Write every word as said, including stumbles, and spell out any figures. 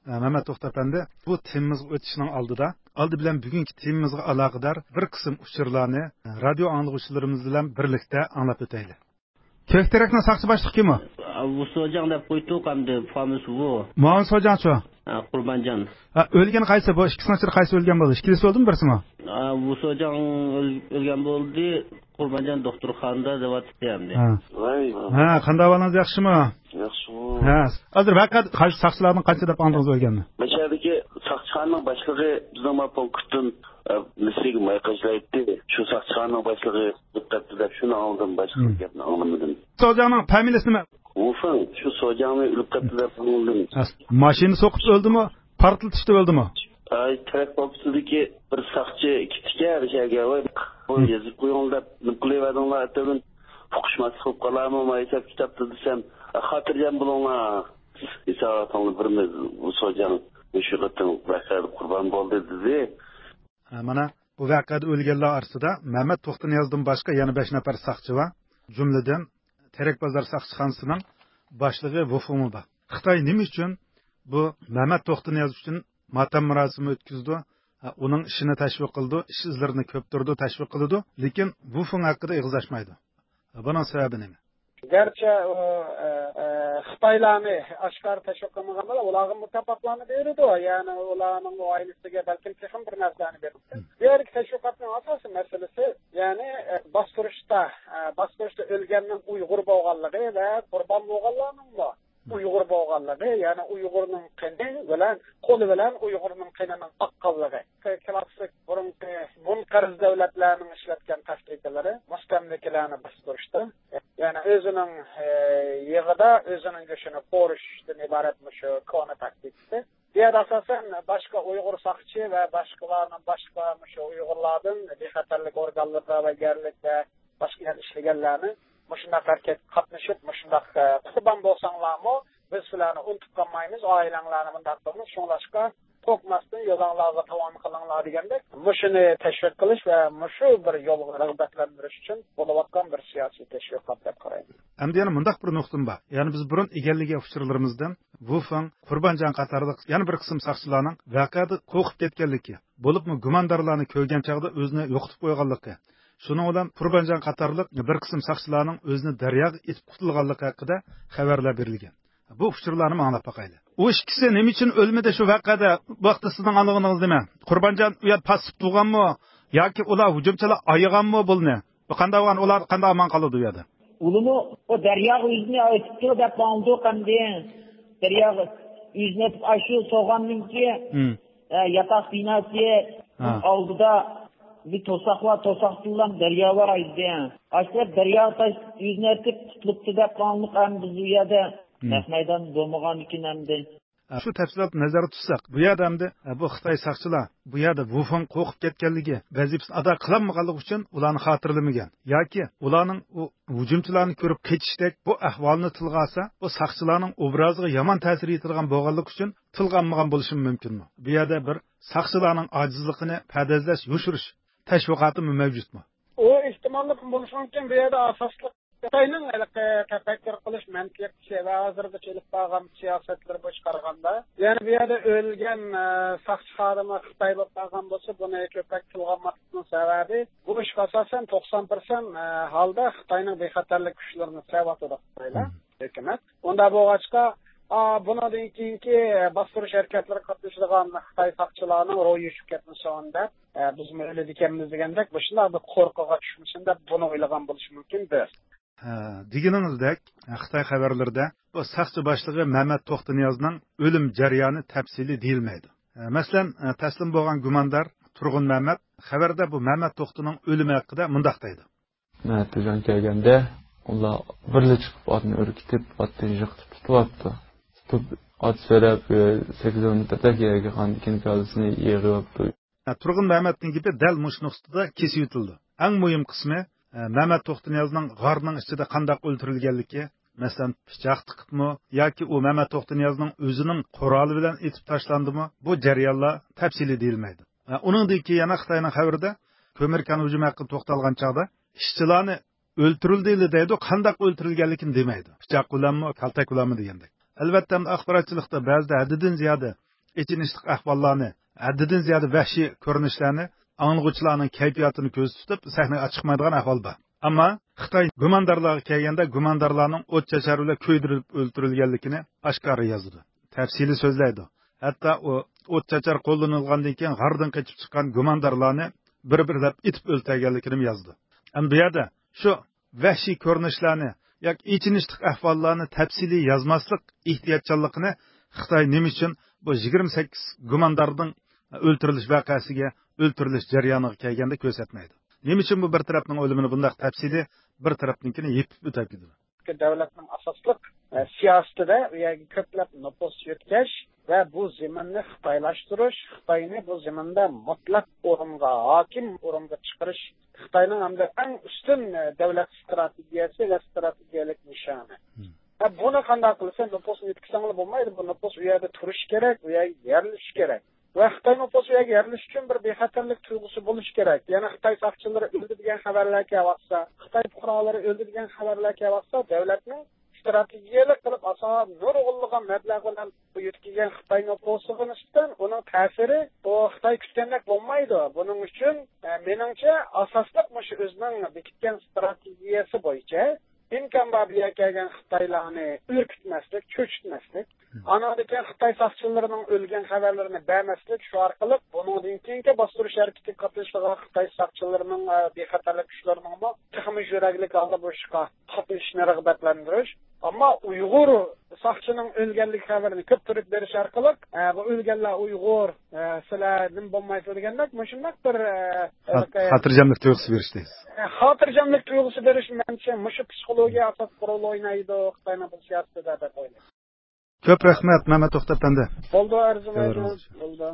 ئە، مەمەت توختى ئەپەندى، بۇ تېمىمىزغا ئۆتۈشنىڭ ئالدىدا، ئالدى بىلەن بۈگۈنكى تېمىمىزغا ئالاقىدار بىر قىسىم ئۇچۇرلارنى، ئە، رادىيو ئاڭلىغۇچىلىرىمىز بىلەن بىرلىكتە ئاڭلاپ ئۆتەيلى. كۆكتېرەكنىڭ ساقچى باشلىقى كىم ئۇ؟ ۋۇ سوجاڭ دەپ قويدۇق ئەمدى، فامىلىسى ۋۇ. مۇئاۋىن سوجاڭچۇ؟ ھە، قۇربانجان. ھە، ئۆلگەن قايسى بۇ؟ ئىككىسىنىڭ ئىچىدە قايسى ئۆلگەن بولدى؟ ئىككىلىسى ئۆلدىمۇ، بىرسىمۇ؟ ھە، ۋۇ سوجاڭ ئۆل-، ئۆلگەن بولدى. قۇربانجان دوختۇرخانىدا دەۋاتىتتى ئەمدى. ھە. ۋاي، ۋاي. ھە، قانداق ئەھۋالىڭىز، ياخشىمۇ؟ ياخشىمۇ. ھە. ھازىر ۋەقە قايسى ساقچىلاردىن قانچە دەپ ئاڭلىدىڭىز ئۆلگەننى؟ مەشەدىكى ساقچىخانىنىڭ باشلىقى بىزنىڭ ما پونكىتتىن، ئە، مىسىرگە مايقاچلايتتى. شۇ ساقچىخانىنىڭ باشلىقى ئۆلۈپ كەتتى دەپ شۇنى ئاڭلىدىم، باشقا گەپنى ئاڭلىمىدىم. سوجاڭنىڭ فامىلىسى نېمە؟ ۋۇفېڭ، شۇ سوجاڭنى ئۆلۈپ كەتتى دەپ ئاڭلىدىم. ھە، ماشىنا سوقۇپ ئۆلدىمۇ؟ پارتلىتىشتا ئۆلدىمۇ؟ ئاي، تېرەك پونكىتىدىكى بىر ساقچى كېتىكەن شەگە، ۋاي، بۇ يېزىپ قويۇڭ دەپ نېمە قىلىۋەردىڭلار ئەتىۋىن؟ ئۇقۇشماسلىق بولۇپ قالارمۇ ما ھېساب كىتابتا دېسەم، خاتىرجەم بولۇڭلار. ھېساباتىڭلار بىرمىز، بۇ سوجاڭ مۇشۇ قېتىم ۋەقەدە قۇربان بولدى دېدى. ھە، مانا بۇ ۋەقەدە ئۆلگەنلەر ئارىسىدا مەمەت توختىنىيازدىن باشقا يەنە بەش نەپەر ساقچى بار. جۈملىدىن تېرەك بازار ساقچىخانىسىنىڭ باشلىقى ۋۇفېڭمۇ بار. خىتاي نېمە ئۈچۈن بۇ مەمەت توختىنىياز ئۈچۈن ماتەم مۇراسىمى ئۆتكۈزىدۇ؟ ھە، ئۇنىڭ ئىشىنى تەشۋىق قىلىدۇ، ئىش ئىزلىرىنى كۆپتۈرىدۇ، تەشۋىق قىلىدۇ، لېكىن ۋۇفېڭ ھەققىدە ئېغىز ئاچمايدۇ. بۇنىڭ سەۋەبى نېمە؟ گەرچە ئۇ، ئە، ئە، خىتايلارنى ئاشكارا تەشۋىق قىلمىغان بىلەن، ئۇلارغا مۇكاپاتلارنى بېرىدۇ. يەنى ئۇلارنىڭ ئائىلىسىگە بەلكىم تېخىمۇ بىر نەرسىلەرنى بېرىدۇ. بۇ يەردىكى تەشۋىقاتنىڭ ئاساسىي مەسىلىسى، يەنى، ئە، باستۇرۇشتا، ئە، باستۇرۇشتا ئۆلگەننىڭ ئۇيغۇر بولغانلىقى ۋە قۇربان بولغانلارنىڭمۇ ئۇيغۇر بولغانلىقى، يەنى ئۇيغۇرنىڭ قېنى بىلەن، قولى بىلەن ئۇيغۇرنىڭ قېنىنىڭ ئاققانلىقى. ك-، كلاسسىك بۇرۇنقى مۇنقەرز دۆلەتلەرنىڭ ئىشلەتكەن تاكتىكىلىرى مۇستەملىكىلەرنى باستۇرۇشتا، يەنى ئۆزىنىڭ، ئە، يېغىدا ئۆزىنىڭ گۆشىنى قورۇشتىن ئىبارەت مۇشۇ كونا تاكتىكىسى. بۇ يەردە ئاساسەن باشقا ئۇيغۇر ساقچى ۋە باشقىلارنىڭ، باشقا مۇشۇ ئۇيغۇرلاردىن بىخەتەرلىك ئورگانلىرىدا ۋە يەرلىكتە باشقا يەردە ئىشلىگەنلەرنى مۇشۇنداق ھەرىكەتكە قاتنىشىپ، مۇشۇنداق، ئە، قۇربان بولساڭلارمۇ، بىز سىلەرنى ئۇنتۇپ قالمايمىز، ئائىلەڭلارنى مۇنداق قىلىمىز، شۇڭلاشقا قورقماستىن يولۇڭلارغا داۋام قىلىڭلار دېگەندەك، مۇشۇنى تەشۋىق قىلىش ۋە مۇشۇ بىر يولغا رىغبەتلەندۈرۈش ئۈچۈن بولۇۋاتقان بىر سىياسىي تەشۋىقات دەپ قارايمەن. ئەمدى يەنە مۇنداق بىر نۇقتىم بار. يەنى بىز بۇرۇن ئىگىلىگەن ئۇچۇرلىرىمىزدىن ۋۇفېڭ، قۇربانجان قاتارلىق يەنە بىر قىسىم ساقچىلارنىڭ ۋەقەدە قورقۇپ كەتكەنلىكى، بولۇپمۇ گۇماندارلارنى كۆرگەن چاغدا ئۆزىنى يوقىتىپ قويغانلىقى، شۇنىڭ بىلەن قۇربانجان قاتارلىق بىر قىسىم ساقچىلارنىڭ ئۆزىنى دەرياغا ئېتىپ قۇتۇلغانلىقى ھەققىدە خەۋەرلەر بېرىلگەن. بۇ ئۇچۇرلارنى ئاڭلاپ باقايلى. ئۇ ئىككىسى نېمە ئۈچۈن ئۆلمىدى شۇ ۋەقەدە؟ بۇ ھەقتە سىزنىڭ ئاڭلىغىنىڭىز نېمە؟ قۇربانجان ئۇ يەردە پاسسىپ تۇرغانمۇ؟ ياكى ئۇلار ھۇجۇمچىلار ئايىغانمۇ بۇلنى؟ بۇ قانداق بولغان؟ ئۇلار قانداق ئامان قالىدۇ ئۇ يەردە؟ ئۇلىمۇ ئۇ دەرياغا ئۆزىنى ئېتىپتۇ دەپ ئاڭلىدۇق ئەمدى. دەرياغا ئۆزىنى ئېتىپ، ئاشۇ سوغاننىڭكى، ھە، ياتاق بىناسى ئالدىدا بىر توساق بار، توساقتىنلا دەريا بار ئىدى. ئاشۇ دەرياغا تاش ئۆزىنى ئېتىپ قۇتۇلۇپتۇ دەپ ئاڭلىدۇق ئەمدى بىز ئۇ يەردە. نەق مەيدان بولمىغاندىكىن ئەمدى. شۇ تەپسىلاتنى نەزەردە تۇتساق، بۇ يەردە ئەمدى، ئە، بۇ خىتاي ساقچىلار بۇ يەردە ۋۇفېڭ قورقۇپ كەتكەنلىكى، ۋەزىپىسىنى ئادا قىلالمىغانلىقى ئۈچۈن ئۇلارنى خاتىرىلىمىگەن ياكى ئۇلارنىڭ ئۇ ھۇجۇمچىلارنى كۆرۈپ قېچىشتەك بۇ ئەھۋالنى تىلغا ئالسا، بۇ ساقچىلارنىڭ ئوبرازىغا يامان تەسىر يېتىدىغان بولغانلىقى ئۈچۈن تىلغا ئالمىغان بولۇشىمۇ مۇمكىنمۇ؟ بۇ يەردە بىر ساقچىلارنىڭ ئاجىزلىقىنى پەدەزلەش، يوشۇرۇش تەشۋىقاتىمۇ مەۋجۇتمۇ؟ ئۇ ئېھتىماللىقمۇ بولۇشى مۇمكىن. بۇ يەردە ئاساسلىق خىتاينىڭ ھېلىقى تەپەككۇر قىلىش مەنتىقى ۋە ھازىرغىچە ئېلىپ بارغان سىياسەتلىرى بويىچە قارىغاندا، يەنى بۇ يەردە ئۆلگەن، ئە، ساقچى خادىمى خىتاي بولۇپ قالغان بولسا، بۇنى كۆپرەك تىلغا ئالماسلىقنىڭ سەۋەبى، بۇ ئىشقا ئاساسەن توقسان پىرسەنت، ئە، ھالدا خىتاينىڭ بىخەتەرلىك كۈچلىرىنى سېلىۋاتىدۇ خىتايلار، ھۆكۈمەت. ئۇنداق بولغاچقا، ئا، بۇنىڭدىن كېيىنكى باستۇرۇش ھەرىكەتلىرىگە قاتنىشىدىغان خىتاي ساقچىلارنىڭ روھى چۈشۈپ كەتمىسۇن دەپ، ئە، بىزمۇ ئۆلىدىكەنمىز دېگەندەك، مۇشۇنداق بىر قورقۇغا چۈشمىسۇن دەپ بۇنى ئويلىغان بولۇشى مۇمكىن بىر. ھە، دېگىنىڭىزدەك، خىتاي خەۋەرلىرىدە بۇ ساقچى باشلىقى مەمەت توختىنىيازنىڭ ئۆلۈم جەريانى تەپسىلىي دېيىلمەيدۇ. ھە، مەسىلەن، تەسلىم بولغان گۇماندار تۇرغۇن مەمەت خەۋەردە بۇ مەمەت توختىنىڭ ئۆلۈمى ھەققىدە مۇنداق دەيدۇ. مەمەت توختى كەلگەندە، ئۇلار بىرلا چىقىپ ئاتنى ئۈركۈتۈپ، ئاتتىن يىقىتىپ تۇتۇۋاپتۇ. تۇتۇپ، ئات سۆرەپ، سەككىز كىلومېتىردەك يەرگە قاندىكىن كاللىسىنى يىغىۋاپتۇ. ھە، تۇرغۇن مەمەتنىڭ گېپى دەل مۇشۇ نۇقتىدا كېسىۋېتىلىدۇ. ئەڭ مۇھىم قىسمى، ھە، مەمەت توختىنىيازنىڭ غارنىڭ ئىچىدە قانداق ئۆلتۈرۈلگەنلىكى، مەسىلەن، پىچاق تىقىپمۇ ياكى ئۇ مەمەت توختىنىيازنىڭ ئۆزىنىڭ قورالى بىلەن ئېتىپ تاشلاندىمۇ، بۇ جەريانلار تەپسىلىي دېيىلمەيدۇ. ھە، ئۇنىڭدىن كېيىن يەنە خىتاينىڭ خەۋىرىدە كۆمۈر كان ھۇجۇمى ھەققىدە توختالغان چاغدا ئىشچىلارنى ئۆلتۈرۈلدى دەيدۇ، قانداق ئۆلتۈرۈلگەنلىكىنى دېمەيدۇ. پىچاق بىلەنمۇ، كالتەك بىلەنمۇ دېگەندەك. ئەلۋەتتە، ئەمدى ئاخباراتچىلىقتا بەزىدە ھەددىدىن زىيادە ئېچىنىشلىق ئەھۋاللارنى، ھەددىدىن زىيادە ۋەھشىي كۆرۈنۈشلەرنى ئاڭلىغۇچىلارنىڭ كەيپىياتىنى كۆزدە تۇتۇپ سەھنىگە چىقمايدىغان ئەھۋال بار. ئەمما خىتاي گۇماندارلارغا كەلگەندە، گۇماندارلارنىڭ ئوت چاچار بىلەن كۆيدۈرۈلۈپ ئۆلتۈرۈلگەنلىكىنى ئاشكارا يازىدۇ، تەپسىلىي سۆزلەيدۇ. ھەتتا ئۇ ئوت چاچار قوللىنىلغاندىن كېيىن غاردىن قېچىپ چىققان گۇماندارلارنى بىر-بىرلەپ ئېتىپ ئۆلتۈرگەنلىكىنى يازىدۇ. ئەمما بۇ يەردە شۇ ۋەھشىي كۆرۈنۈشلەرنى ياكى ئېچىنىشلىق ئەھۋاللارنى تەپسىلىي يازماسلىق ئېھتىياتچانلىقىنى خىتاي نېمە ئۈچۈن بۇ يىگىرمە سەككىز گۇماندارنىڭ ئۆلتۈرۈلۈش ۋەقەسىگە، ئۆلتۈرۈلۈش جەريانىغا كەلگەندە كۆرسەتمەيدۇ؟ نېمە ئۈچۈن بۇ بىر تەرەپنىڭ ئۆلۈمىنى بۇنداق تەپسىلىي، بىر تەرەپنىڭكىنى يېپىپ ئۆتۈپ كېتىدۇ؟ دۆلەتنىڭ ئاساسلىق، ئە، سىياسىتىدە ئۇ يەرگە كۆپلەپ نوپۇس يۆتكەش ۋە بۇ زېمىننى خىتايلاشتۇرۇش، خىتاينى بۇ زېمىندا مۇتلەق ئورۇنغا، ھاكىم ئورۇنغا چىقىرىش خىتاينىڭ ھەمدە ئەڭ ئۈستۈن، ئە، دۆلەت ئىستراتېگىيەسى ۋە ئىستراتېگىيەلىك نىشانى. ۋە بۇنى قانداق قىلىسەن؟ نوپۇسنى يۆتكىسەڭلا بولمايدۇ. بۇ نوپۇس ئۇ يەردە تۇرۇشى كېرەك، ئۇ يەرگە يەرلىشىشى كېرەك. ۋە خىتاي نوپۇسى ئۇ يەرگە يەرلىشىش ئۈچۈن بىر بىخەتەرلىك تۇيغۇسى بولۇشى كېرەك. يەنە خىتاي ساقچىلىرى ئۆلدى دېگەن خەۋەرلەر كېلىۋاتسا، خىتاي پۇقرالىرى ئۆلدى دېگەن خەۋەرلەر كېلىۋاتسا، دۆلەتنىڭ ئىستراتېگىيەلىك قىلىپ ئاسان نۇرغۇنلىغان مەبلەغ بىلەن بۇ يۆتكىگەن خىتاي نوپۇسىغا نىسبەتەن ئۇنىڭ تەسىرى بۇ خىتاي كۈتكەندەك بولمايدۇ. بۇنىڭ ئۈچۈن، ئە، مېنىڭچە، ئاساسلىق مۇشۇ ئۆزىنىڭ بېكىتكەن ئىستراتېگىيەسى بويىچە ئىمكان بار بۇ يەرگە كەلگەن خىتايلارنى ئۈركۈتمەسلىك، چۆچۈتمەسلىك. ئانىڭدىن كېيىن خىتاي ساقچىلىرىنىڭ ئۆلگەن خەۋەرلىرىنى بەرمەسلىك، شۇ ئارقىلىق بۇنىڭدىن كېيىنكى باستۇرۇش ھەرىكىتىگە قاتنىشىدىغان خىتاي ساقچىلىرىنىڭ، ئە، بىخەتەرلىك كۈچلىرىنىڭمۇ تېخىمۇ يۈرەكلىك ھالدا بۇ ئىشقا قاتنىشىشىنى رىغبەتلەندۈرۈش. ئەمما ئۇيغۇر ساقچىنىڭ ئۆلگەنلىك خەۋىرىنى كۆپتۈرۈپ بېرىش ئارقىلىق، ئە، بۇ ئۆلگەنلەر ئۇيغۇر، ئە، سىلەر نېمە بولمايسىلەر دېگەندەك مۇشۇنداق بىر، ئە، خات-، ھېلىقى خاتىرجەملىك تۇيغۇسى بېرىش دەيسىز. ئە، خاتىرجەملىك تۇيغۇسى بېرىش، مەنچە، مۇشۇ پسىخولوگىيە ئاساسلىق رول ئوينايدۇ خىتاينىڭ بۇ سىياسىتىدە دەپ ئويلايمەن. كۆپ رەھمەت، مەمەت توختى ئەپەندى. بولدى، ئەرزىمەيدۇ. بولدى.